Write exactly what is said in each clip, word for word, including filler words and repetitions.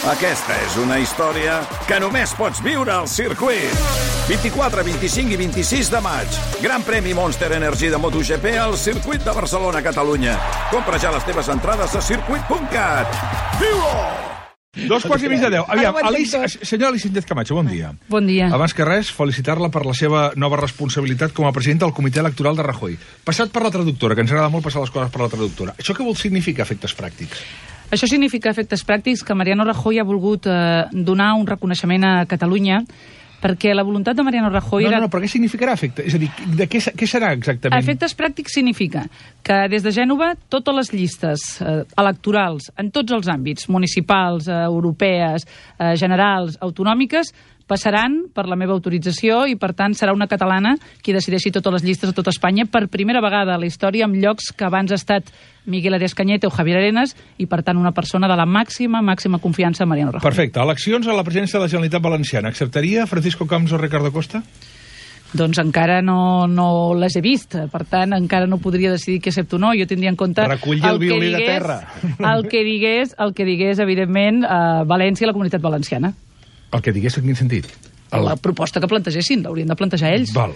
Aquesta és una història que només pots viure al circuit. vint-i-quatre, vint-i-cinc i vint-i-sis de maig. Gran premi Monster Energy de MotoGP al circuit de Barcelona, Catalunya. Compra ja les teves entrades a circuit punt cat. Viu-ho! Dos quarts i mig de deu. Aviam, Alicia, senyora Alicia Sánchez Camacho, bon dia. Bon dia. Abans que res, felicitar-la per la seva nova responsabilitat com a presidenta del Comitè Electoral de Rajoy. Passat per la traductora, que ens agrada molt passar les coses per la traductora. Això què vol significar, efectes pràctics? Això significa, efectes pràctics, que Mariano Rajoy ha volgut eh, donar un reconeixement a Catalunya perquè la voluntat de Mariano Rajoy... No, era... no, no, però què significarà efecte? És a dir, de què, què serà exactament? Efectes pràctics significa que des de Gènova totes les llistes eh, electorals en tots els àmbits, municipals, eh, europees, eh, generals, autonòmiques, passaran per la meva autorització i, per tant, serà una catalana qui decideixi totes les llistes a tota Espanya per primera vegada a la història, amb llocs que abans ha estat Miguel Arias Cañete o Javier Arenas i, per tant, una persona de la màxima, màxima confiança en Mariano Rajoy. Perfecte. Eleccions a la presidència de la Generalitat Valenciana. Acceptaria Francisco Camps o Ricardo Costa? Doncs encara no, no les he vist, per tant, encara no podria decidir què accepto o no. Jo tindria en compte... Reculli el violí de terra. El que digués, el que digués, evidentment, a València i la Comunitat Valenciana. El que digués, en quin sentit? El... La proposta que plantegessin, l'haurien de plantejar ells. Val.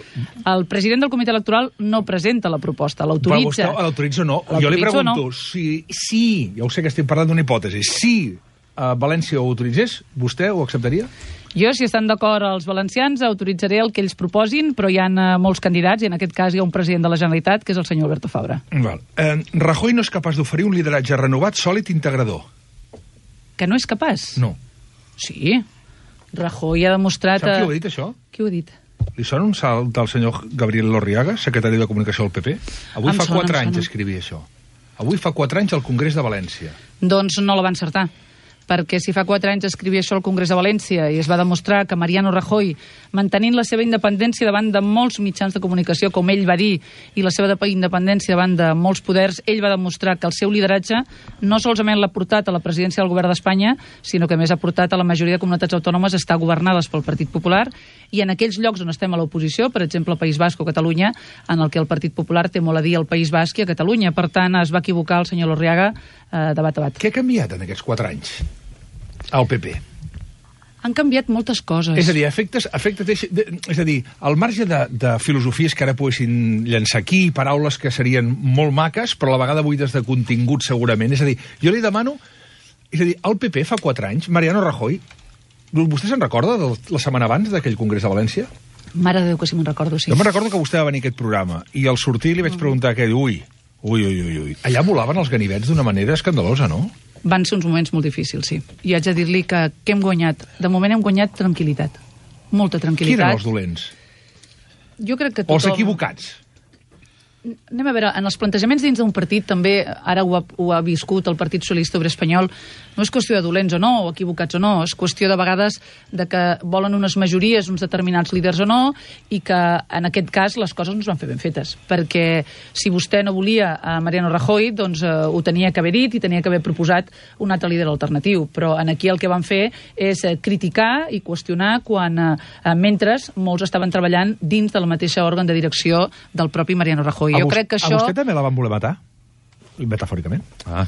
El president del comitè electoral no presenta la proposta, l'autoritza. Però l'autoritza o no? Jo li pregunto, no? si, si, ja ho sé que estem parlant d'una hipòtesi, si uh, València ho autoritzés, vostè ho acceptaria? Jo, si estan d'acord els valencians, autoritzaré el que ells proposin, però hi ha uh, molts candidats, i en aquest cas hi ha un president de la Generalitat, que és el senyor Alberto Fabra. Val. Eh, Rajoy no és capaç d'oferir un lideratge renovat, sòlid, integrador. Que no és capaç? No. Sí. Rajoy ha demostrat... Sap qui ho ha dit, això? Qui ho ha dit? Li sona un salt del senyor Gabriel Lorriaga, secretari de Comunicació del P P? Avui em fa sona, quatre anys sona. escrivia això. Avui fa quatre anys al Congrés de València. Doncs no la va encertar, perquè si fa quatre anys escrivia això al Congrés de València i es va demostrar que Mariano Rajoy, mantenint la seva independència davant de molts mitjans de comunicació, com ell va dir, i la seva independència davant de molts poders, ell va demostrar que el seu lideratge no solament l'ha portat a la presidència del govern d'Espanya, sinó que més ha portat a la majoria de comunitats autònomes a estar governades pel Partit Popular, i en aquells llocs on estem a l'oposició, per exemple al País Basc o Catalunya, en el que el Partit Popular té molt a dir al País Basc i a Catalunya. Per tant, es va equivocar el senyor Lorriaga eh, de bat a bat. Què ha canviat en aquests quatre anys? Al P P. Han canviat moltes coses. És a dir, efectes, efectes de, és a dir, al marge de, de filosofies que ara poguessin llançar aquí, paraules que serien molt maques, però a la vegada buides de contingut segurament. És a dir, jo li demano, és a dir, al P P fa quatre anys, Mariano Rajoy, vostè se'n recorda de la setmana abans d'aquell Congrés de València? Mare de Déu, que si me'n recordo, sí. Jo me'n recordo que vostè va venir a aquest programa i al sortir li vaig preguntar què, ui, ui, ui, ui, ui. Allà volaven els ganivets d'una manera escandalosa, no? Van ser uns moments molt difícils, sí. I haig de dir-li que, que hem guanyat. De moment hem guanyat tranquil·litat. Molta tranquil·litat. Qui eren els dolents? Jo crec que tothom... O els equivocats? Anem a veure, en els plantejaments dins d'un partit també, ara ho ha, ho ha viscut el Partit Socialista Obrer Espanyol, no és qüestió de dolents o no, o equivocats o no, és qüestió de vegades de que volen unes majories, uns determinats líders o no, i que en aquest cas les coses no es van fer ben fetes, perquè si vostè no volia a Mariano Rajoy, doncs eh, ho tenia que haver dit i tenia que haver proposat un altre líder alternatiu, però en aquí el que van fer és eh, criticar i qüestionar quan, eh, mentre molts estaven treballant dins del mateix òrgan de direcció del propi Mariano Rajoy. Jo crec que això... A vostè també la van voler matar? Metafòricament? Ah.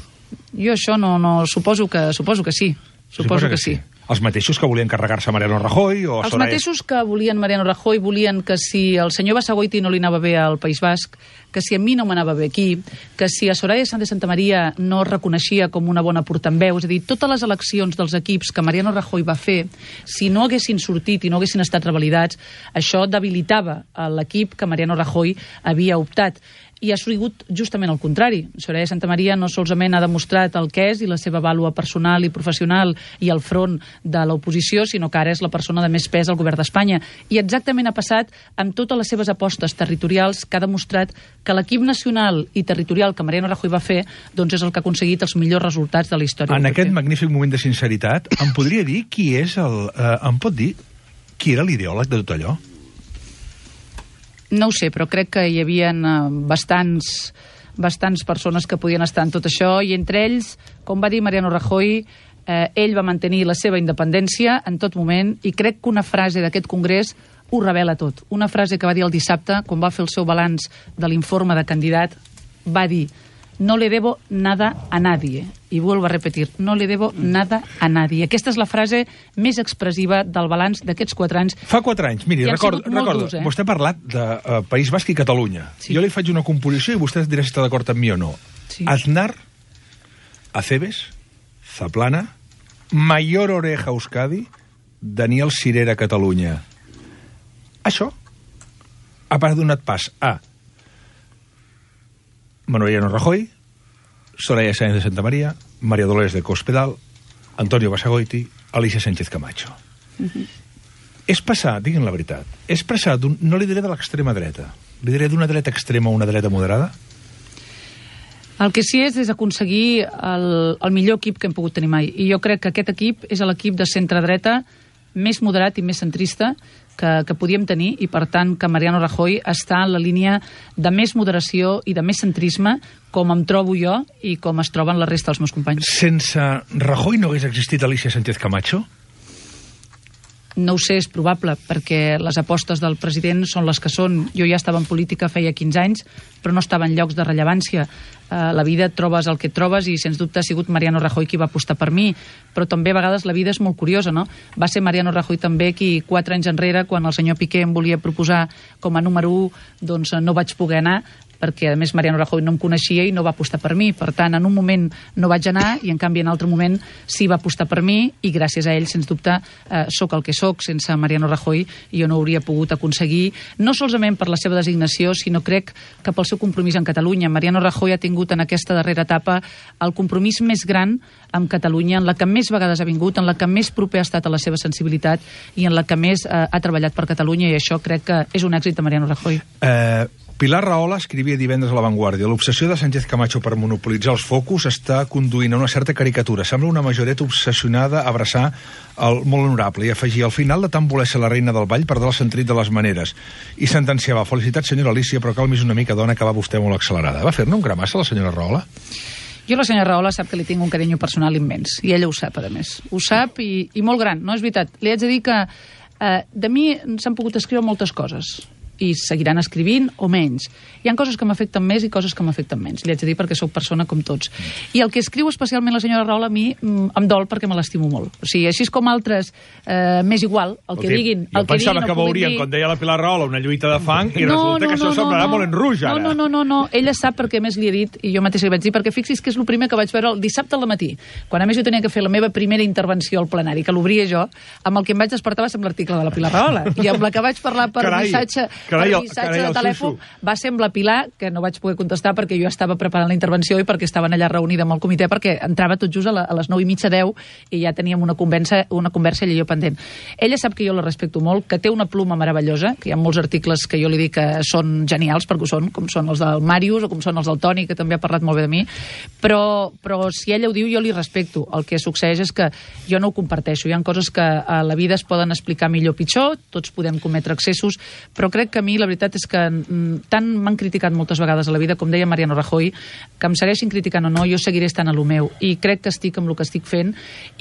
Jo això no... no suposo, que, suposo que sí. Suposo, suposo que, que sí. sí. Els mateixos que volien carregar-se Mariano Rajoy? O Els mateixos que volien Mariano Rajoy volien que si el senyor Basagoiti no li anava bé al País Basc, que si a mi no m'anava bé aquí, que si a Soraya Sáenz de Santamaría no es reconeixia com una bona portaveu, és a dir, totes les eleccions dels equips que Mariano Rajoy va fer, si no haguessin sortit i no haguessin estat revalidats, això debilitava l'equip que Mariano Rajoy havia optat. I ha sigut justament el contrari. Soraya Santamaría no solament ha demostrat el que és i la seva vàlua personal i professional i al front de l'oposició, sinó que ara és la persona de més pes al govern d'Espanya. I exactament ha passat amb totes les seves apostes territorials, que ha demostrat que l'equip nacional i territorial que Mariano Rajoy va fer doncs és el que ha aconseguit els millors resultats de la història. En aquest magnífic moment de sinceritat, em podria dir qui és el... Eh, em pot dir qui era l'ideòleg de tot allò? No ho sé, però crec que hi havia bastants, bastants persones que podien estar en tot això, i entre ells, com va dir Mariano Rajoy, eh, ell va mantenir la seva independència en tot moment, i crec que una frase d'aquest congrés ho revela tot. Una frase que va dir el dissabte, quan va fer el seu balanç de l'informe de candidat, va dir: no le debo nada a nadie. i vuelvo a repetir, no le debo nada a nadie. Aquesta és la frase més expressiva del balanç d'aquests quatre anys. Fa quatre anys, miri, recordo, recordo durs, eh? vostè ha parlat de uh, País Basc i Catalunya. Sí. Jo li faig una composició i vostè dirà si està d'acord amb mi o no. Sí. Aznar, Acebes, Zaplana, Mayor Oreja Euskadi, Daniel Sirera Catalunya. Això ha donat pas a Mariano Rajoy, Soraya Sáenz de Santa María, María Dolores de Cospedal, Antonio Basagoiti, Alicia Sánchez Camacho. Uh-huh. És passar, diguin la veritat, és passar, no li diré de l'extrema dreta, li diré d'una dreta extrema a una dreta moderada? El que sí és és aconseguir el, el millor equip que hem pogut tenir mai. I jo crec que aquest equip és l'equip de centre-dreta més moderat i més centrista que, que podíem tenir, i per tant que Mariano Rajoy està en la línia de més moderació i de més centrisme, com em trobo jo i com es troben la resta dels meus companys. Sense Rajoy no hagués existit Alicia Sánchez Camacho? No ho sé, és probable, perquè les apostes del president són les que són. Jo ja estava en política feia quinze anys, però no estava en llocs de rellevància. Uh, la vida et trobes el que et trobes i, sens dubte, ha sigut Mariano Rajoy qui va apostar per mi. Però també, a vegades, la vida és molt curiosa, no? Va ser Mariano Rajoy també qui, quatre anys enrere, quan el senyor Piqué em volia proposar com a número u, doncs no vaig poder anar, perquè, a més, Mariano Rajoy no em coneixia i no va apostar per mi. Per tant, en un moment no vaig anar i, en canvi, en altre moment sí va apostar per mi i, gràcies a ell, sens dubte, eh, sóc el que sóc. Sense Mariano Rajoy jo no hauria pogut aconseguir, no solament per la seva designació, sinó crec que pel seu compromís en Catalunya. Mariano Rajoy ha tingut en aquesta darrera etapa el compromís més gran amb Catalunya, en la que més vegades ha vingut, en la que més proper ha estat a la seva sensibilitat i en la que més eh, ha treballat per Catalunya, i això crec que és un èxit de Mariano Rajoy. Eh... Pilar Rahola escrivia divendres a La Vanguardia: l'obsessió de Sánchez Camacho per monopolitzar els focus està conduint a una certa caricatura. Sembla una majoreta obsessionada a abraçar el molt honorable, i afegia: al final de tant voler ser la reina del ball perdrà el sentit de les maneres. I sentenciava: felicitats, senyora Alicia, però calmis una mica, dona, que va vostè molt accelerada. Va fer-ne un gramassa la senyora Rahola? Jo la senyora Rahola sap que li tinc un carinyo personal immens, i ella ho sap, a més. Ho sap, i, i molt gran, no és veritat. Li haig de dir que eh, de mi s'han pogut escriure moltes coses, i seguiran escrivint o menys. Hi ha coses que m'afecten més i coses que m'afecten menys. Li haig de dir perquè sóc persona com tots. I el que escriu especialment la senyora Rahola a mi em dol perquè me l'estimo molt. O sigui, així com altres, eh, més igual, el que diguin, el que diguin, que veurien, com deia la Pilar Rahola, una lluita de fang, i no, resulta no, que això no, semblarà no, molt en rouge, ara. No, no, no, no, ella sap perquè més li he dit, i jo mateixa li vaig dir, perquè fixi's que és el primer que vaig veure el dissabte al matí, quan a més jo tenia que fer la meva primera intervenció al plenari, que l'obria jo, amb el que em vaig despertar va ser amb l'article de la Pilar Rahola, i amb la que vaig parlar per carai, missatge, carai, per missatge carai, de telèfon, va ser amb la Pilar, que no vaig poder contestar perquè jo estava preparant la intervenció i perquè estaven allà reunida amb el comitè, perquè entrava tot just a, la, a les nou i mitja, deu, i ja teníem una conversa, una conversa ella i jo pendent. Ella sap que jo la respecto molt, que té una pluma meravellosa, que hi ha molts articles que jo li dic que són genials, perquè ho són, com són els del Màrius o com són els del Toni, que també ha parlat molt bé de mi, però, però si ella ho diu, jo li respecto. El que succeeix és que jo no ho comparteixo. Hi ha coses que a la vida es poden explicar millor o pitjor, tots podem cometre excessos, però crec que a mi la veritat és que tant m'han criticat moltes vegades a la vida, com deia Mariano Rajoy, que em segueixin criticant o no, jo seguiré estant a lo meu, i crec que estic amb el que estic fent,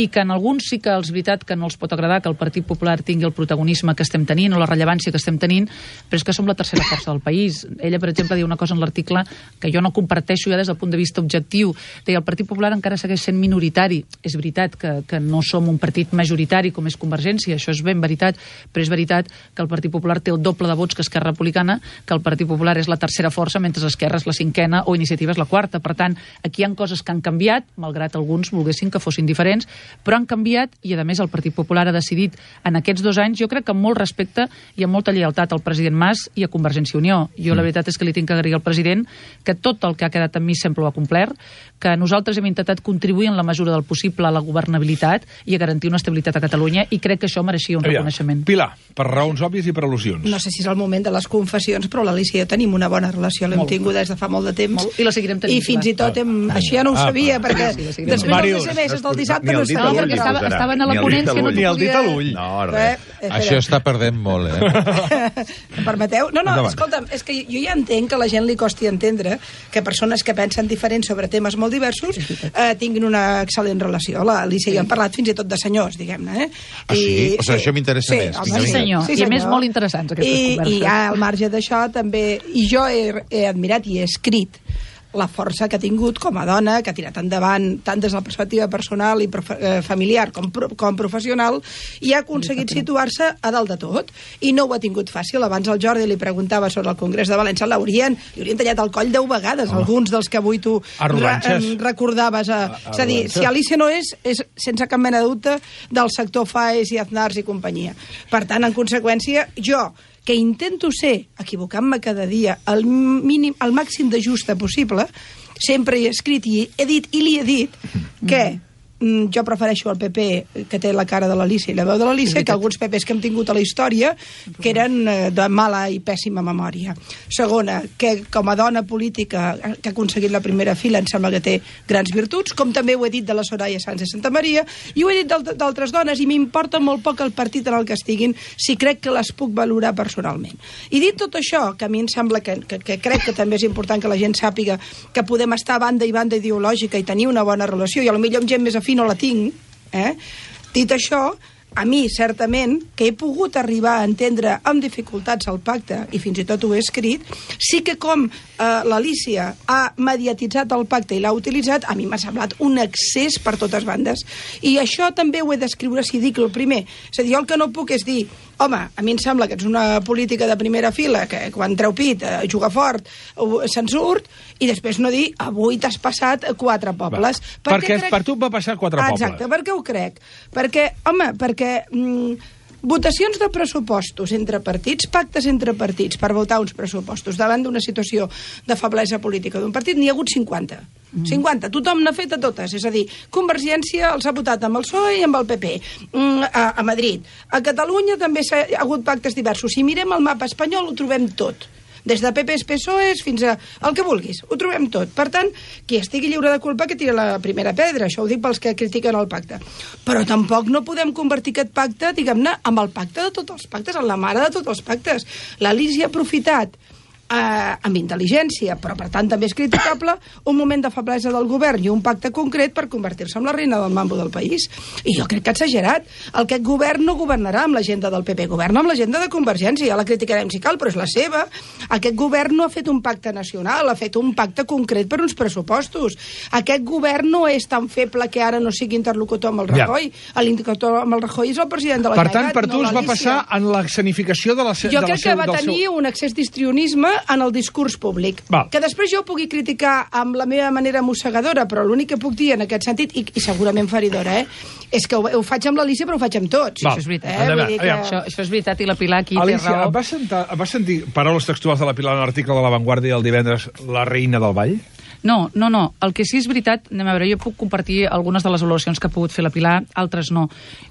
i que en alguns sí que és veritat que no els pot agradar que el Partit Popular tingui el protagonisme que estem tenint o la rellevància que estem tenint, però és que som la tercera força del país. Ella, per exemple, diu una cosa en l'article que jo no comparteixo ja des del punt de vista objectiu. Deia, el Partit Popular encara segueix sent minoritari. És veritat que, que no som un partit majoritari com és Convergència, això és ben veritat, però és veritat que el Partit Popular té el doble de vots que Esquerra Republicana, que el Partit Popular és la tercera força, mentre Esquerra és la cinquena o Iniciativa és la quarta. Per tant, aquí hi ha coses que han canviat, malgrat alguns volguessin que fossin diferents, però han canviat, i a més el Partit Popular ha decidit en aquests dos anys, jo crec que amb molt respecte i amb molta lleialtat al president Mas i a Convergència i Unió. Jo la veritat és que li tinc que agrair al president que tot el que ha quedat en mi sempre ho ha complert, que nosaltres hem intentat contribuir en la mesura del possible a la governabilitat i a garantir una estabilitat a Catalunya, i crec que això mereixia un Aviam, reconeixement. Pilar, per raons òbvies i per al·lusions. No sé si és el moment de les confessions, però l'Alicia i jo tenim una bona relació, l'hem tingut des de fa molt de temps. Molt, i la seguirem tenint. I fins i tot, hem, ah, això ja no ho ah, sabia, ah, perquè sí, sí, després Màrius, dels S M S del dissabte no No, perquè estava, estaven a la ponència, no ni el dit a l'ull. No, res. Eh, això està perdent molt, eh? Em permeteu? No, no, escolta'm, és que jo ja entenc que a la gent li costi entendre que persones que pensen diferent sobre temes molt diversos eh, tinguin una excel·lent relació. L'Alicia i jo hem parlat fins i tot de senyors, diguem-ne. Eh? Ah, sí? I, o sigui, això m'interessa sí, més. Home, sí, senyor. Sí, senyor. I a més molt interessants aquestes I, converses. I ja al marge d'això també, i jo he, he admirat i he escrit la força que ha tingut com a dona, que ha tirat endavant tant des de la perspectiva personal i eh, familiar com, com professional, i ha aconseguit situar-se a dalt de tot. I no ho ha tingut fàcil. Abans el Jordi li preguntava sobre el Congrés de València, l'haurien, li haurien tallat el coll deu vegades, oh. alguns dels que avui tu re, recordaves. A, a, és a dir, si Alicia no és, és sense cap mena de dubte del sector Faes i Aznars i companyia. Per tant, en conseqüència, jo que intento ser, equivocant-me cada dia, el mínim, el màxim de justa possible, sempre he escrit i he dit i li he dit que mm, jo prefereixo el P P, que té la cara de l'Alicia i la veu de l'Alicia, que alguns P Ps que hem tingut a la història, que eren eh, de mala i pèssima memòria. Segona, que com a dona política que ha aconseguit la primera fila em sembla que té grans virtuts, com també ho he dit de la Soraya Sáenz de Santamaría, i ho he dit d'altres dones, i m'importa molt poc el partit en el que estiguin, si crec que les puc valorar personalment. I dit tot això, que a mi em sembla que, que, que crec que també és important que la gent sàpiga que podem estar a banda i banda ideològica i tenir una bona relació, i potser amb gent més afí no la tinc, eh? Dit això, a mi, certament, que he pogut arribar a entendre amb dificultats el pacte, i fins i tot ho he escrit, sí que com eh, l'Alicia ha mediatitzat el pacte i l'ha utilitzat, a mi m'ha semblat un excés per totes bandes. I això també ho he d'escriure si dic el primer. És a dir, jo el que no puc és dir, home, a mi em sembla que ets una política de primera fila, que quan treu pit, eh, juga fort, se'n surt, i després no dir, avui t'has passat quatre pobles. Va, perquè crec... per tu va passar quatre pobles. Exacte, perquè ho crec. Perquè, home, perquè... Mm, votacions de pressupostos entre partits, pactes entre partits per votar uns pressupostos davant d'una situació de feblesa política d'un partit, n'hi ha hagut cinquanta. Mm. cinquanta. Tothom n'ha fet a totes. És a dir, Convergència els ha votat amb el P S O E i amb el P P. Mm, a, a Madrid. A Catalunya també s'ha ha hagut pactes diversos. Si mirem el mapa espanyol ho trobem tot. Des de P Ps, P S O Es fins a el que vulguis. Ho trobem tot. Per tant, qui estigui lliure de culpa que tira la primera pedra. Això ho dic pels que critiquen el pacte. Però tampoc no podem convertir aquest pacte, diguem-ne, amb el pacte de tots els pactes, en la mare de tots els pactes. L'Alicia ha aprofitat eh, amb intel·ligència, però per tant també és criticable, un moment de feblesa del govern i un pacte concret per convertir-se en la reina del mambo del país. I jo crec que ha exagerat. El que aquest govern no governarà amb l'agenda del P P, governa amb l'agenda de Convergència, ja la criticarem si cal, però és la seva. Aquest govern no ha fet un pacte nacional, ha fet un pacte concret per uns pressupostos. Aquest govern no és tan feble que ara no sigui interlocutor amb el Rajoy. Ja. L'interlocutor amb el Rajoy és el president de la Generalitat. Per tant, per tu no es va passar en l'escenificació de la Jo de crec la seu, que va tenir seu... un excés d'histrionisme en el discurs públic. Val. Que després jo pugui criticar amb la meva manera mossegadora, però l'únic que puc dir en aquest sentit, i, i segurament feridora, eh, és que ho, ho faig amb l'Alicia, però ho faig amb tots. Val. Això és veritat. Eh? Vull dir que... això, això és veritat, i la Pilar aquí Alicia, té raó. Vas, sentar, vas sentir paraules textuals de la Pilar en l'article de La Vanguardia el divendres, la reina del ball? No, no, no. El que sí és veritat, anem a veure, jo puc compartir algunes de les valoracions que ha pogut fer la Pilar, altres no.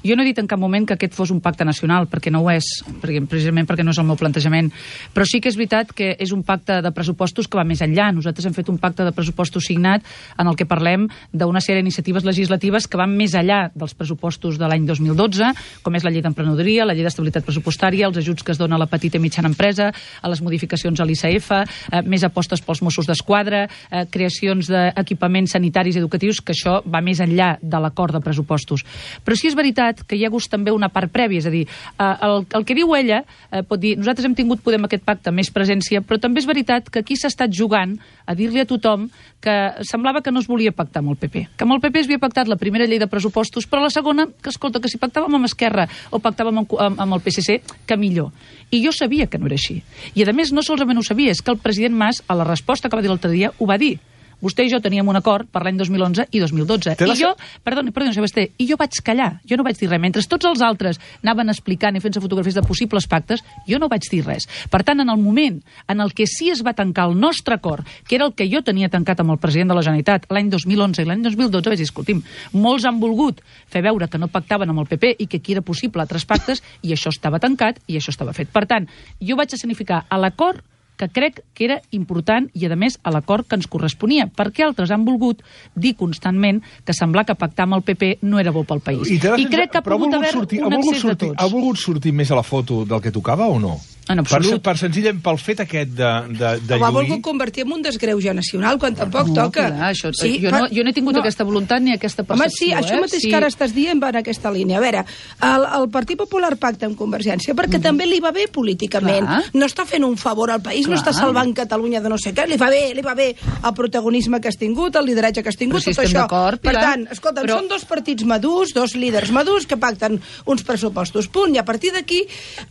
Jo no he dit en cap moment que aquest fos un pacte nacional, perquè no ho és, perquè, precisament perquè no és el meu plantejament. Però sí que és veritat que és un pacte de pressupostos que va més enllà. Nosaltres hem fet un pacte de pressupostos signat en el que parlem d'una sèrie d'iniciatives legislatives que van més enllà dels pressupostos de l'any dos mil dotze, com és la llei d'emprenedoria, la llei d'estabilitat pressupostària, els ajuts que es donen a la petita i mitjana empresa, a les modificacions a l'I C F, eh, més apostes pels Mossos d'Esquadra, eh, creacions d'equipaments sanitaris i educatius, que això va més enllà de l'acord de pressupostos. Però sí és veritat que hi ha hagut també una part prèvia, és a dir, eh, el, el que diu ella eh, pot dir, nosaltres hem tingut, podem, aquest pacte més presència, però també és veritat que aquí s'ha estat jugant a dir-li a tothom que semblava que no es volia pactar amb el P P, que amb el P P es havia pactat la primera llei de pressupostos, però la segona, que escolta, que si pactàvem amb Esquerra o pactàvem amb, amb, amb el P S C, que millor. I jo sabia que no era així. I a més, no solament ho sabia, és que el president Mas, a la resposta que va dir l'altre dia, ho va dir. Vostè i jo teníem un acord per l'any dos mil onze i dos mil dotze. I jo, perdoni, perdoni, Sebastià, i jo vaig callar, jo no vaig dir res. Mentre tots els altres anaven explicant i fent-se fotografies de possibles pactes, jo no vaig dir res. Per tant, en el moment en el que sí es va tancar el nostre acord, que era el que jo tenia tancat amb el president de la Generalitat l'any dos mil onze i l'any dos mil dotze, vaig dir, escolti'm, molts han volgut fer veure que no pactaven amb el P P i que aquí era possible altres pactes, i això estava tancat i això estava fet. Per tant, jo vaig escenificar a l'acord que crec que era important i, a més, a l'acord que ens corresponia, perquè altres han volgut dir constantment que semblar que pactar amb el P P no era bo pel país. I, I crec que ha pogut haver sortir, un ha accés sortir, de tots. Ha volgut sortir més a la foto del que tocava o no? En absolut. Per, per senzillament pel fet aquest de, de, de Ho ha lluir... volgut convertir en un desgreuge nacional, quan tampoc no, toca. Clar, això, sí, jo, no, jo no he tingut no. aquesta voluntat ni aquesta percepció. Home, sí, això eh? mateix sí. que ara estàs dient va en aquesta línia. A veure, el, el Partit Popular pacta amb Convergència perquè mm. també li va bé políticament. Clar. No està fent un favor al país, Clar. no està salvant Catalunya de no sé què. Li va bé, li va bé el protagonisme que has tingut, el lideratge que has tingut, si tot això. Per tant, escolta, però... són dos partits madurs, dos líders madurs que pacten uns pressupostos, punt. I a partir d'aquí,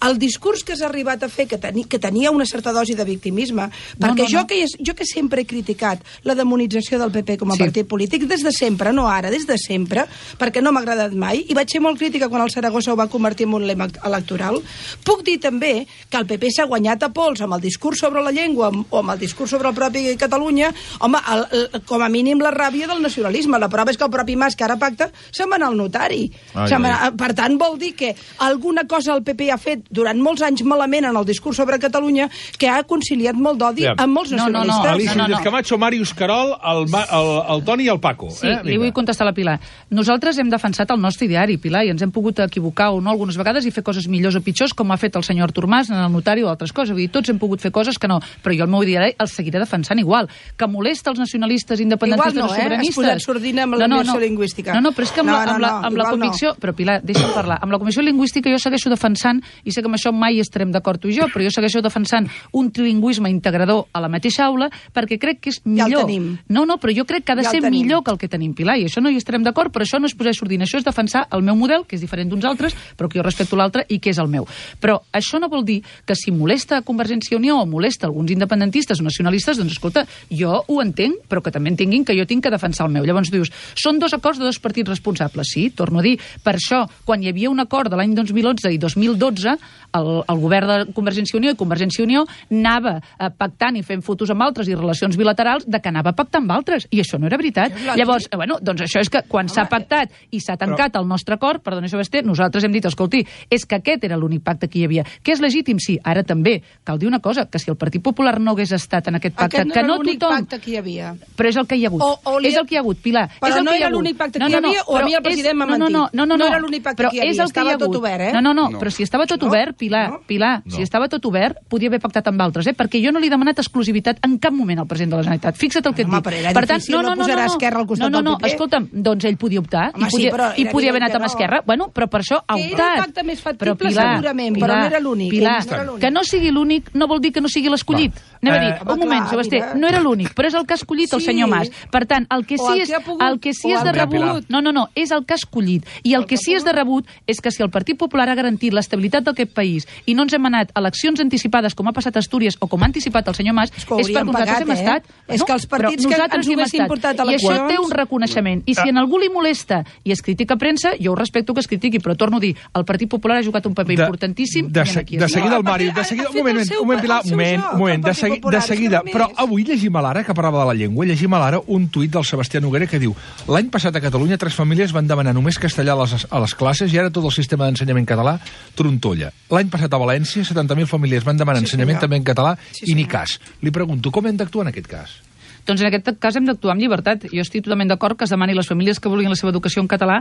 el discurs que has arribat a fer, que, teni, que tenia una certa dosi de victimisme, perquè no, no, jo, no. Que, jo que sempre he criticat la demonització del P P com a sí. partit polític, des de sempre, no ara, des de sempre, perquè no m'ha agradat mai, i vaig ser molt crítica quan el Saragossa ho va convertir en un lema electoral. Puc dir també que el P P s'ha guanyat a pols amb el discurs sobre la llengua o amb el discurs sobre el propi Catalunya, home, el, el, com a mínim la ràbia del nacionalisme. La prova és que el propi Mas, que ara pacta, se'n va anar al notari. Ai, ai. Per tant, vol dir que alguna cosa el P P ha fet durant molts anys malament en el discurs sobre Catalunya que ha conciliat molt d'odi yeah. amb molts nacionalistes. No, no, no. Alicia no, no, no. Camacho, Màrius Carol, el, el, el Toni i el Paco. Sí, eh? li vull contestar a la Pilar. Nosaltres hem defensat el nostre ideari, Pilar, i ens hem pogut equivocar o no algunes vegades i fer coses millors o pitjors, com ha fet el senyor Artur Mas en el notari o altres coses. Vull dir, tots hem pogut fer coses que no, però jo el meu ideari el seguiré defensant igual. Que molesta els nacionalistes, independentistes no, o sobiranistes... Igual no, eh? Has posat sordina amb la no, no, immersió no. lingüística. No, no, però és que amb, no, la, amb, no, la, amb la convicció... No. Però, Pilar, deixa'm parlar. Amb la comissió lingüística jo segueixo defensant, i sé que amb això mai estarem d'acord tu i jo, però jo segueixo defensant un trilingüisme integrador a la mateixa aula perquè crec que és millor. Ja el tenim. No, no, però jo crec que ha de ja ser millor que el que tenim, Pilar, i això no hi estarem d'acord, però això no és posar sordina, això és defensar el meu model, que és diferent d'uns altres, però que jo respecto l'altre i que és el meu. Però això no vol dir que si molesta Convergència i Unió o molesta alguns independentistes o nacionalistes, doncs escolta, jo ho entenc, però que també entenguin que jo tinc que defensar el meu. Llavors dius, són dos acords de dos partits responsables, sí, torno a dir, per això, quan hi havia un acord de l'any dos mil onze i dos mil dotze, el, el govern de Convergència i Unió i Convergència i Unió anava eh, pactant i fent fotos amb altres i relacions bilaterals de que anava a pactar amb altres, i això no era veritat. Llavors, eh, bueno, doncs això és que quan s'ha pactat i s'ha tancat però... el nostre acord, perdona, Sebastià, nosaltres hem dit, escolti, és que aquest era l'únic pacte que hi havia. Que és legítim, sí, ara també. Cal dir una cosa, que si el Partit Popular no hagués estat en aquest pacte, aquest no que no l'únic tothom... pacte que hi havia. Però és el que hi ha hagut. O, o li... És el que hi ha hagut, Pilar. Però és el no que hi ha era l'únic pacte que no, hi no, no, havia, o a mi el president m'ha mentit. No, no, no, no, no era l'únic pacte que hi havia, estava tot obert, eh? No, no, no, però si estava tot obert, Pilar, Pilar, si estava tot obert, podia haver pactat amb altres, eh? Perquè jo no li he demanat exclusivitat en cap moment al president de la Generalitat. Fixa't el que et dic. Per tant, no, no, no, no, Esquerra al costat no, no, no, del P P. escolta'm, doncs ell podia optar i podia haver anat amb Esquerra. Bueno, però per això ha optat. Que era el pacte més factible, segurament, però no era l'únic. Pilar, que no sigui l'únic no vol dir que no sigui l'escollit. Anem a dir, un moment, Sebastià, no era l'únic, però és el que ha escollit el senyor Mas. Per tant, el que sí és el que sí és de rebut... No, no, no, és el que ha escollit. I el que sí és de rebut és que si el Partit Popular ha garantit l'estabilitat d'aquest país i no ens hem anat a eleccions anticipades com ha passat a Astúries o com ha anticipat el senyor Mas, és perquè nosaltres hem estat... És que els partits que ens ho haguessin portat a eleccions... I això té un reconeixement. I si en algú li molesta i es critica a premsa, jo ho respecto que es critiqui, però torno a dir, el Partit Popular ha jugat un paper importantíssim. De seguida el Màrius, de seguida... Un moment, un moment, Pilar, un moment, un moment, de seguida... Però avui llegim a l'Ara, que parlava de la llengua, llegim a l'Ara un tuit del Sebastià Noguera que diu: l'any passat a Catalunya tres famílies van demanar només castellà a les, a les classes i ara tot el sistema d'ensenyament català trontolla. L'any passat a València setanta mil famílies van demanar sí, ensenyament també en català sí, i ni cas. Li pregunto, com hem d'actuar en aquest cas? Doncs en aquest cas hem d'actuar amb llibertat. Jo estic totalment d'acord que es demani a les famílies que vulguin la seva educació en català,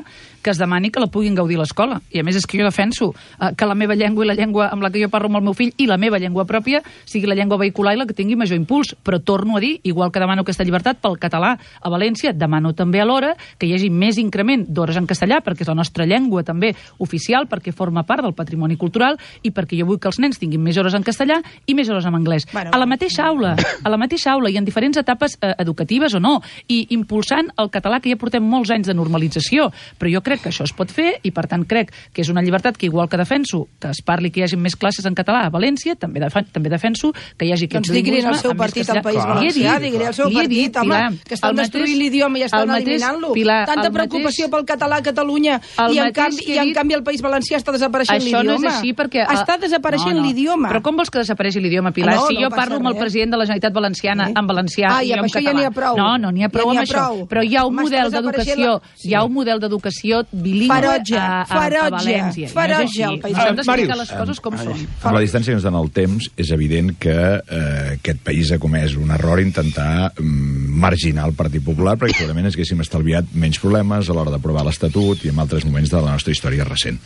que es demani que la puguin gaudir a l'escola. I a més és que jo defenso eh, que la meva llengua i la llengua amb la que jo parlo amb el meu fill i la meva llengua pròpia sigui la llengua vehicular i la que tingui major impuls. Però torno a dir, igual que demano aquesta llibertat pel català a València, demano també alhora que hi hagi més increment d'hores en castellà, perquè és la nostra llengua també oficial, perquè forma part del patrimoni cultural i perquè jo vull que els nens tinguin més hores en castellà i més hores en anglès. Bueno, a la mateixa aula, a la mateixa aula i en diferents etapes eh, educatives o no, i impulsant el català que ja portem molts anys de normalització. Però jo crec que això es pot fer i per tant crec que és una llibertat que igual que defenso que es parli que hi hagi més classes en català a València, també, defen també defenso que hi hagi aquest doncs digui al seu partit al País Valencià, digui al seu partit, home, que estan destruint l'idioma i estan eliminant-lo. Tanta preocupació pel català a Catalunya i en canvi i en canvi el País Valencià està desapareixent l'idioma. Això no és així perquè... Està desapareixent l'idioma. Però com vols que desapareixi l'idioma, Pilar? Si jo parlo amb el president de la Generalitat Valenciana en valencià i jo això ja n'hi ha prou. No, no n'hi ha prou ja amb això. Prou. Però hi ha un Home, model d'educació, la... sí. hi ha un model d'educació bilingüe a, a, a València. Ferotge, no és així. Hem d'explicar les coses com són. Amb la distància que ens dona el temps, és evident que eh, aquest país ha comès un error intentar mm, marginar el Partit Popular, perquè segurament ens haguéssim estalviat menys problemes a l'hora d'aprovar l'Estatut i en altres moments de la nostra història recent.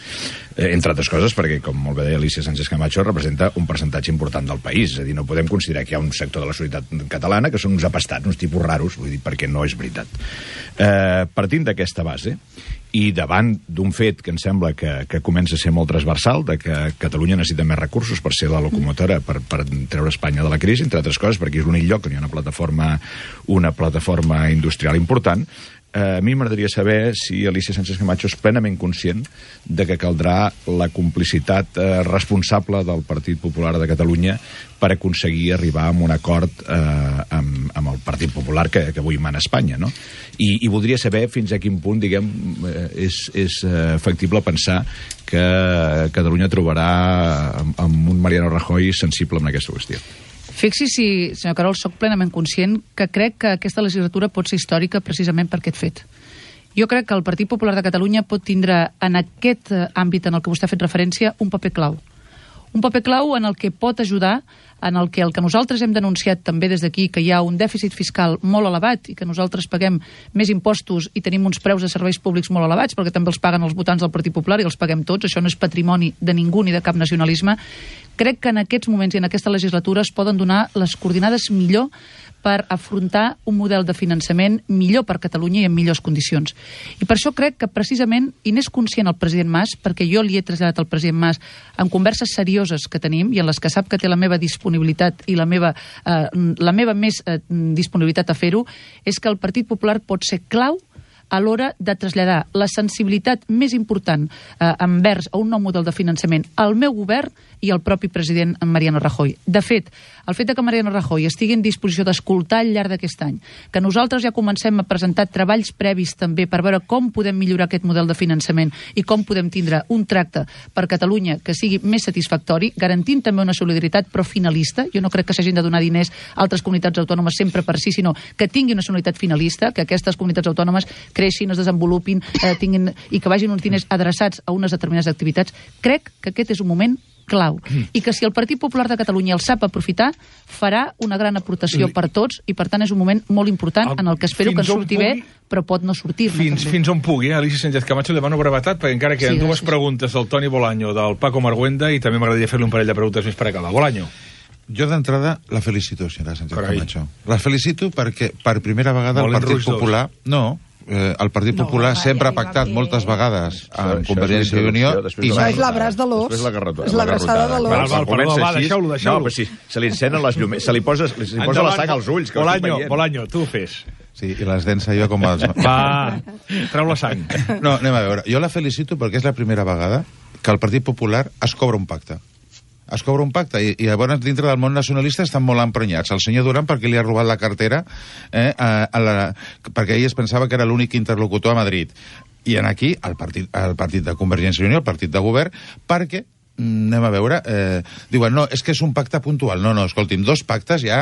Eh, entre altres coses, perquè, com molt bé deia Alicia Sánchez Camacho, representa un percentatge important del país. És a dir, no podem considerar que hi ha un sector de la societat catalana que són uns apastats, uns tipus raros, vull dir, perquè no és veritat. Eh, partint d'aquesta base, i davant d'un fet que em sembla que, que comença a ser molt transversal, de que Catalunya necessita més recursos per ser la locomotora, per, per treure Espanya de la crisi, entre altres coses, perquè és l'únic lloc on hi ha una plataforma, una plataforma industrial important, eh, a mi m'agradaria saber si Alicia Sánchez Camacho és plenament conscient de que caldrà la complicitat eh, responsable del Partit Popular de Catalunya per aconseguir arribar a un acord eh, amb, amb el Partit Popular que, que avui mana a Espanya, no? I, i voldria saber fins a quin punt, diguem, eh, és, és eh, factible pensar que Catalunya trobarà amb, amb un Mariano Rajoy sensible en aquesta qüestió. Fixi si, senyor Carol, soc plenament conscient que crec que aquesta legislatura pot ser històrica precisament per aquest fet. Jo crec que el Partit Popular de Catalunya pot tindre en aquest àmbit en el que vostè ha fet referència un paper clau. Un paper clau en el que pot ajudar, en el que el que nosaltres hem denunciat també des d'aquí, que hi ha un dèficit fiscal molt elevat i que nosaltres paguem més impostos i tenim uns preus de serveis públics molt elevats, perquè també els paguen els votants del Partit Popular i els paguem tots, això no és patrimoni de ningú ni de cap nacionalisme. Crec que en aquests moments i en aquesta legislatura es poden donar les coordinades millor per afrontar un model de finançament millor per Catalunya i en millors condicions. I per això crec que precisament, i n'és conscient el president Mas, perquè jo li he traslladat al president Mas en converses serioses que tenim i en les que sap que té la meva disponibilitat i la meva, eh, la meva més eh, disponibilitat a fer-ho, és que el Partit Popular pot ser clau a l'hora de traslladar la sensibilitat més important eh, envers a un nou model de finançament al meu govern i al propi president Mariano Rajoy. De fet, el fet que Mariano Rajoy estigui en disposició d'escoltar al llarg d'aquest any, que nosaltres ja comencem a presentar treballs previs també per veure com podem millorar aquest model de finançament i com podem tindre un tracte per Catalunya que sigui més satisfactori, garantint també una solidaritat però finalista. Jo no crec que s'hagin de donar diners a altres comunitats autònomes sempre per si, sinó que tingui una solidaritat finalista, que aquestes comunitats autònomes creixin, es desenvolupin eh, tinguin, i que vagin uns diners adreçats a unes determinades activitats. Crec que aquest és un moment clau. I que si el Partit Popular de Catalunya el sap aprofitar, farà una gran aportació per tots i, per tant, és un moment molt important en el que espero que en surti bé, però pot no sortir-ne. Fins, fins on pugui, eh? Alicia Sánchez Camacho, demano brevetat, perquè encara queden sí, dues preguntes del Toni Bolaño, del Paco Marguenda, i també m'agradaria fer-li un parell de preguntes més per acabar. Bolaño. Jo d'entrada la felicito, senyora Sánchez Camacho. La felicito perquè per primera vegada el Partit Popular... No, Eh, el Partit Popular no, sempre ha pactat ja, moltes vegades amb Convergència i Unió i això és l'abraç de l'os, és l'abraçada de l'os. Val, val, perdó, va, deixeu-lo, deixeu-lo. No, però si se li encenen les llumets, se li posa, se li posa la sang als ulls. Bolaño, Bolaño, tu fes. Sí, i les dents jo com els... Va, treu la sang. No, anem a veure. Jo la felicito perquè és la primera vegada que el Partit Popular es cobra un pacte. Es cobra un pacte, i, i llavors dintre del món nacionalista estan molt emprenyats. El senyor Duran perquè li ha robat la cartera, eh, a, a la, perquè ell es pensava que era l'únic interlocutor a Madrid. I en aquí, el partit, el partit de Convergència i Unió, el partit de govern, perquè anem a veure, eh, diuen, no, és que és un pacte puntual. No, no, escolti'm, dos pactes ja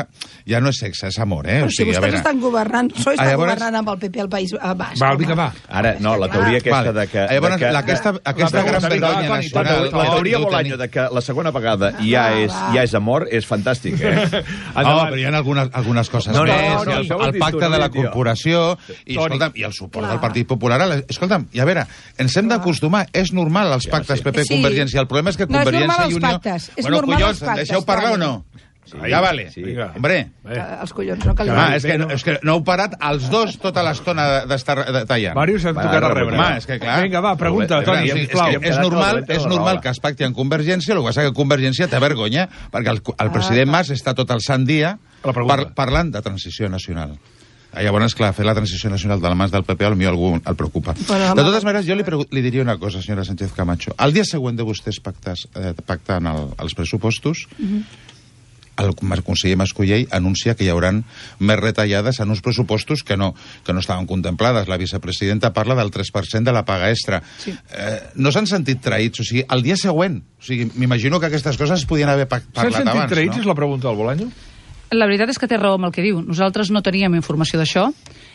ja no és sexe, és amor, eh? Però o sigui, si vostès estan governant, sois estan llavors... governant amb el P P al País Basc. Va, vinga, va. Ara, no, la teoria aquesta de que... Llavors, de que aquesta, aquesta gran vergonya nacional... La teoria Bolaño de que la segona vegada ja és, ja és amor és fantàstic, eh? No, però hi ha algunes, algunes coses no, no, més. no, no, no, el pacte de la corporació i, escolta'm, i el suport del Partit Popular. Escolta'm, i a veure, ens hem d'acostumar. És normal els pactes P P-Convergència. El problema és que Convergència i Unió... Pactes. És bueno, normal collons, els pactes. Deixeu parlar o no? Sí, ja vale. Sí. Hombre. Eh, els collons, no cal... Ah, és, que, és que no heu parat els dos tota l'estona d'estar tallant. Màrius s'ha tocat a rebre. Home, és que clar... Vinga, va, pregunta, Toni, sisplau. És, és normal, és normal que es pacti en Convergència, el que passa que Convergència té vergonya, perquè el, el president Mas està tot el sant dia par, parlant de transició nacional. Llavors, clar, fer la transició nacional de la mans del P P potser algú el preocupa. Bueno, de totes maneres, jo li, li diria una cosa, senyora Sánchez Camacho. El dia següent de vostès pactes, eh, pactant el, els pressupostos, uh-huh. el conseller Mascolell anuncia que hi haurà més retallades en uns pressupostos que no, que no estaven contemplades. La vicepresidenta parla del tres per cent de la paga extra. Sí. Eh, no s'han sentit traïts, o sigui, el dia següent. O sigui, m'imagino que aquestes coses es podien haver parlat abans. S'han sentit traïts, no? És la pregunta del Bolaño? La veritat és que té raó amb el que diu. Nosaltres no teníem informació d'això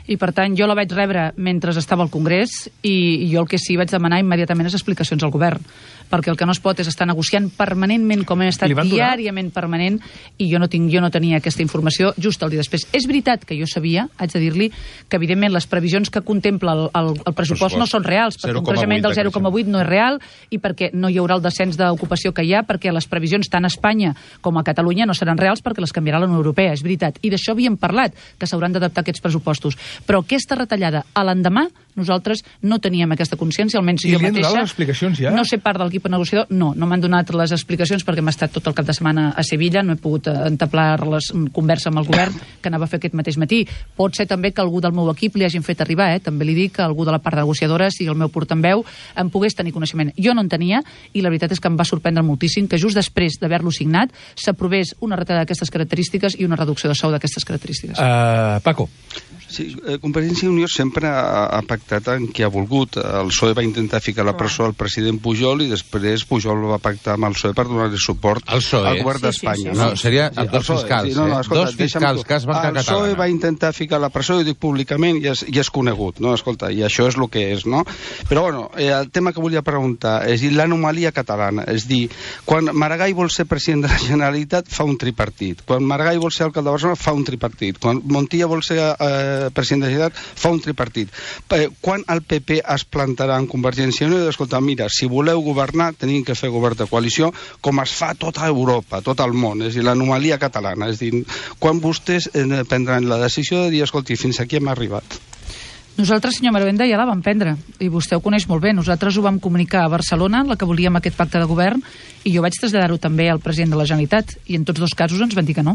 i, per tant, jo la vaig rebre mentre estava al Congrés i jo el que sí vaig demanar immediatament és explicacions al govern, perquè el que no es pot és estar negociant permanentment, com hem estat diàriament permanent, i jo no, tinc, jo no tenia aquesta informació just el dia després. És veritat que jo sabia, haig de dir-li, que evidentment les previsions que contempla el, el, el pressupost no són reals, perquè un creixement del zero coma vuit no és real i perquè no hi haurà el descens d'ocupació que hi ha, perquè les previsions tant a Espanya com a Catalunya no seran reals perquè les canviarà la Unió Europea, és veritat. I d'això havíem parlat, que s'hauran d'adaptar aquests pressupostos. Però aquesta retallada a l'endemà, nosaltres no teníem aquesta consciència, almenys jo mateixa. I li han donat les explicacions ja? No sé part del l'equip negociador, no, no m'han donat les explicacions perquè m'ha estat tot el cap de setmana a Sevilla, no he pogut entablar les conversa amb el govern que anava a fer aquest mateix matí. Pot ser també que algú del meu equip li hagin fet arribar, eh? També li dic que algú de la part negociadora, sigui el meu portaveu, en pogués tenir coneixement. Jo no en tenia i la veritat és que em va sorprendre moltíssim que just després d'haver-lo signat s'aprovés una retallada d'aquestes característiques i una reducció de sou d'aquestes característiques. Uh, Paco. Sí, eh, Convergència i Unió sempre ha, ha pactat en qui ha volgut. El P S O E va intentar ficar a la presó al president Pujol i després Pujol va pactar amb el P S O E per donar-li suport al govern d'Espanya. Sí, sí, sí. No, seria sí, dos fiscals, sí, no, no, escolta, dos fiscals que es van cagar. El P S O E va intentar ficar a la presó, i ho dic públicament, i és, i és conegut, no? Escolta, i això és el que és, no? Però, bueno, eh, el tema que volia preguntar és dir l'anomalia catalana, és dir, quan Maragall vol ser president de la Generalitat fa un tripartit, quan Maragall vol ser alcalde de Barcelona fa un tripartit, quan Montilla vol ser eh, president de la Generalitat fa un tripartit. Eh, quan el P P es plantarà en Convergència i Unió i escolta, mira, si voleu governar tenim que fer govern de coalició com es fa a tota Europa, tot el món, és a dir, l'anomalia catalana, és a dir, quan vostès eh, prendran la decisió de dir, escolti, fins aquí hem arribat. Nosaltres, senyor Maragall, ja la vam prendre, i vostè ho coneix molt bé. Nosaltres ho vam comunicar a Barcelona, la que volíem aquest pacte de govern, i jo vaig traslladar-ho també al president de la Generalitat, i en tots dos casos ens van dir que no.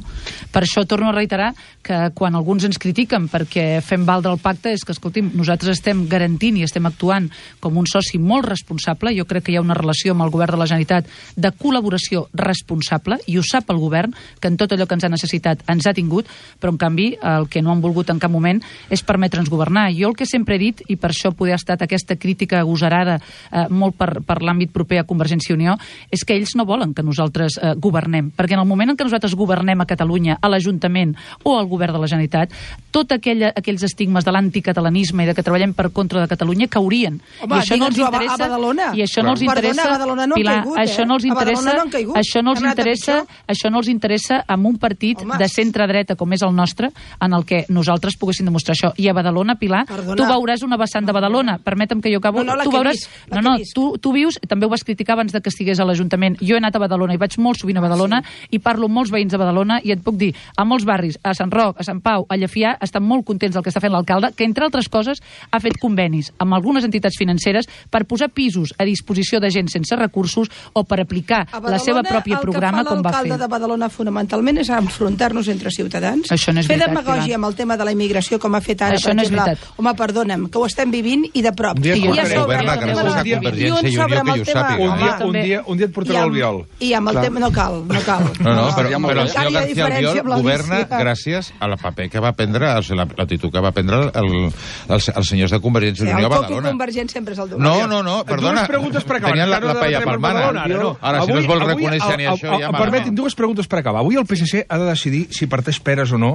Per això torno a reiterar que quan alguns ens critiquen perquè fem valdre el pacte és que, escolti'm, nosaltres estem garantint i estem actuant com un soci molt responsable. Jo crec que hi ha una relació amb el govern de la Generalitat de col·laboració responsable, i ho sap el govern, que en tot allò que ens ha necessitat ens ha tingut, però en canvi el que no han volgut en cap moment és permetre'ns governar. Jo el que sempre he dit, i per això poder ha estat aquesta crítica agosarada eh, molt per, per l'àmbit proper a Convergència i Unió, és que ells no volen que nosaltres eh, governem, perquè en el moment en què nosaltres governem a Catalunya, a l'Ajuntament o al govern de la Generalitat, tot aquella, aquells estigmes de l'anticatalanisme i de que treballem per contra de Catalunya caurien. Home, I això no els interessa, a Badalona. I això no els interessa, Perdona, no Pilar, caigut, eh? això no els interessa, no això no els interessa, això no els interessa amb un partit Home. de centre-dreta com és el nostre, en el que nosaltres poguessin demostrar això. I a Badalona, Pilar, Perdona. tu veuràs una vessant de Badalona, permetem que jo acabo, no, no, tu veuràs, vist, no, no, tu, tu vius, també ho vas criticar abans de que estigués a l'Ajuntament, jo he anat a Badalona i vaig molt sovint a Badalona, ah, sí. i parlo amb molts veïns de Badalona, i et puc dir, a molts barris, a Sant Roc, a Sant Pau, a Llefià, estan molt contents del que està fent l'alcalde, que entre altres coses ha fet convenis amb algunes entitats financeres per posar pisos a disposició de gent sense recursos o per aplicar Badalona, la seva pròpia programa com va fer. L'alcalde de Badalona fonamentalment és enfrontar-nos entre ciutadans, això no és fer veritat, demagògia amb el tema de la immigració com ha fet ara, això per no exemple, és home, perdona'm, que ho estem vivint i de prop. Un dia, I ja governa gràcies a Convergència i Unió, que jo sàpiga. Un dia, un dia, un dia et portarà l'Albiol. I amb el tema, no cal, no cal. No, no, però, però el senyor García Albiol governa gràcies a la paper que va prendre, o sigui, l'actitud que va prendre el, el, els, els senyors de Convergència i Unió a Badalona. El Convergent sempre és el no, no, no, perdona. Dues preguntes per acabar. Tenien la, la paella palmana. No. Ara, si no es vol reconèixer ni això, ja m'ha... Permeti'm, dues preguntes per acabar. Avui el P S C ha de decidir si parteix peres o no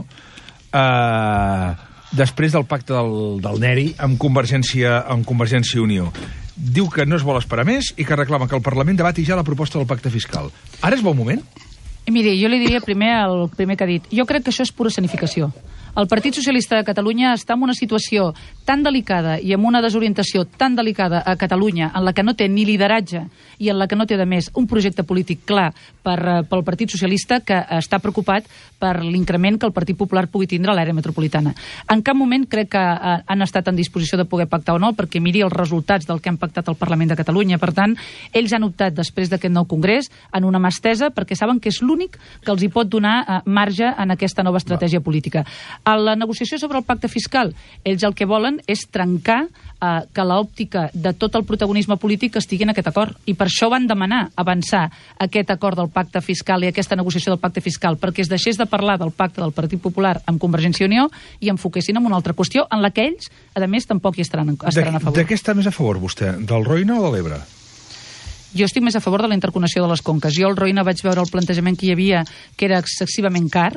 eh, després del pacte del, del Neri amb Convergència, amb Convergència i Unió. Diu que no es vol esperar més i que reclama que el Parlament debati ja la proposta del pacte fiscal. Ara és bon moment? Miri, jo li diria primer el primer que ha dit. Jo crec que això és pura escenificació. El Partit Socialista de Catalunya està en una situació tan delicada i amb una desorientació tan delicada a Catalunya, en la que no té ni lideratge i en la que no té, de més, un projecte polític clar per, pel Partit Socialista, que està preocupat per l'increment que el Partit Popular pugui tindre a l'àrea metropolitana. En cap moment crec que han estat en disposició de poder pactar o no, perquè miri els resultats del que han pactat al Parlament de Catalunya. Per tant, ells han optat, després d'aquest nou congrés, en una mà estesa, perquè saben que és l'únic que els hi pot donar eh, marge en aquesta nova estratègia política. A la negociació sobre el pacte fiscal, ells el que volen és trencar eh, que l'òptica de tot el protagonisme polític estigui en aquest acord. I per això van demanar avançar aquest acord del pacte fiscal i aquesta negociació del pacte fiscal, perquè es deixés de parlar del pacte del Partit Popular amb Convergència i Unió i enfoquessin en una altra qüestió en la que ells, a més, tampoc hi estaran, estaran a favor. De què està més a favor, vostè? Del Roine o de l'Ebre? Jo estic més a favor de la interconnexió de les conques. Jo al Roine vaig veure el plantejament que hi havia, que era excessivament car.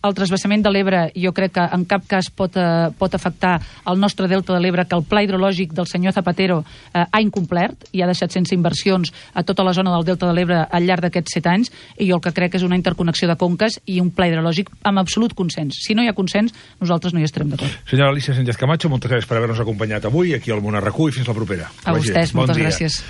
El transvasament de l'Ebre jo crec que en cap cas pot, eh, pot afectar el nostre delta de l'Ebre, que el pla hidrològic del senyor Zapatero eh, ha incomplert i ha deixat sense inversions a tota la zona del delta de l'Ebre al llarg d'aquests set anys, i jo el que crec és una interconnexió de conques i un pla hidrològic amb absolut consens. Si no hi ha consens, nosaltres no hi estarem d'acord. Senyora Alícia Sánchez Camacho, moltes gràcies per haver-nos acompanyat avui aquí al Món a RAC u i fins la propera. A vostès, moltes gràcies.